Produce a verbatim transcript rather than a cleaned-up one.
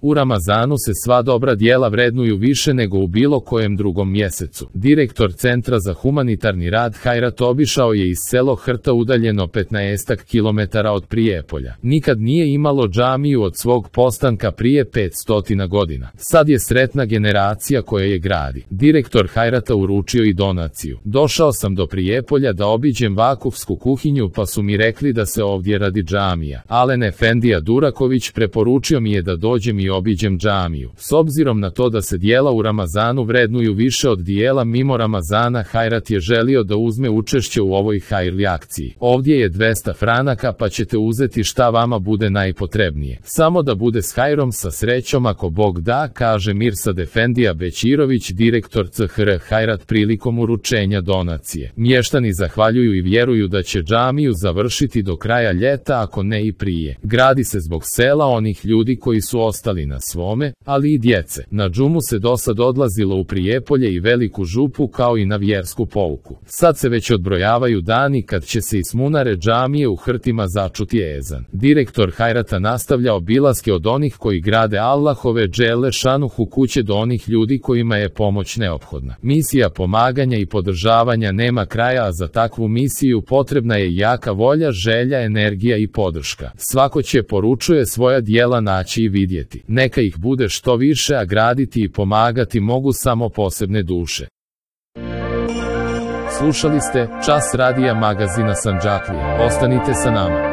U Ramazanu se sva dobra djela vrednuju više nego u bilo kojem drugom mjesecu. Direktor Centra za humanitarni rad Hajrat obišao je iz selo Hrta udaljeno petnaestak kilometara od Prijepolja. Nikad nije imalo džamiju od svog postanka prije petsto godina. Sad je sretna generacija koja je gradi. Direktor Hajrata uručio i donaciju. Došao sam do Prijepolja da obiđem vakufsku kuhinju pa su mi rekli da se ovdje radi džamija. Alen Efendija Duraković preporučio mi je da dođem i obiđem džamiju. S obzirom na to da se dijela u Ramazanu vrednuju više od dijela mimo Ramazana, Hajrat je želio da uzme učešće u ovoj hajrli akciji. Ovdje je dvesta franaka pa ćete uzeti šta vama bude najpotrebnije. Samo da bude s hajrom, sa srećom ako Bog da, kaže Mirsad Efendija Bećirović, direktor C H R Hajrat prilikom uručenja donacije. Mještani zahvaljuju i vjeruju da će džamiju završiti do kraja ljeta, ako ne i prije. Gradi se zbog sela onih ljudi koji su ostali na svome, ali i djece. Na džumu se dosad odlazilo u Prijepolje i Veliku Župu kao i na vjersku pouku. Sad se već odbrojavaju dani kad će se iz munare džamije u Hrtima začuti ezan. Direktor Hajrata nastavlja obilaske od onih koji grade Allahove dželle šanuhu kuće do onih ljudi kojima je pomoć neophodna. Misija pomaganja i podržavanja nema kraja, a za takvu misiju potrebna je jaka volja, želja, energija i podrška. Svako će, poručuje, svoja djela naći i vidjeti. Neka ih bude što više, a graditi i pomagati mogu samo posebne duše. Slušali ste Čas radija magazina Sandžaklija. Ostanite sa nama.